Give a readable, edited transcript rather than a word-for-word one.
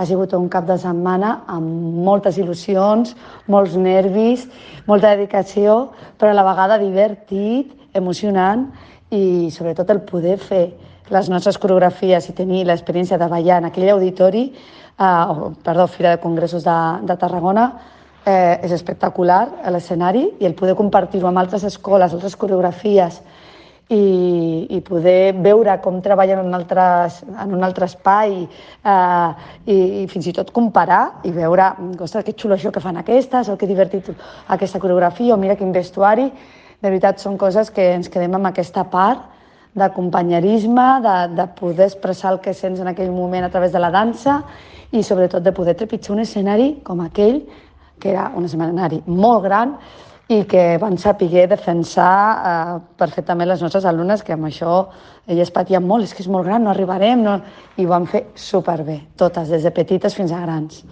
Ha sigut un cap de setmana amb moltes il·lusions, molts nervis, molta dedicació, però a la vegada divertit, emocionant i sobretot el poder fer les nostres coreografies i tenir l'experiència de ballar en aquell auditori, Fira de Congressos de Tarragona, és espectacular a l'escenari, i el poder compartir-ho amb altres escoles, altres coreografies, i poder veure com treballen en un altre espai, i fins i tot comparar i veure, ostres, que xulo això que fan aquestes, o que divertit aquesta coreografia, o mira quin vestuari. De veritat, són coses que ens quedem amb aquesta part de companyerisme, de poder expressar el que sents en aquell moment a través de la dansa, i sobretot de poder trepitjar un escenari com aquell, que era un escenari molt gran, i que van saber defensar perfectament les nostres alumnes, que amb això elles patien molt, és que és molt gran, no arribarem, no... i ho van fer superbé, totes, des de petites fins a grans.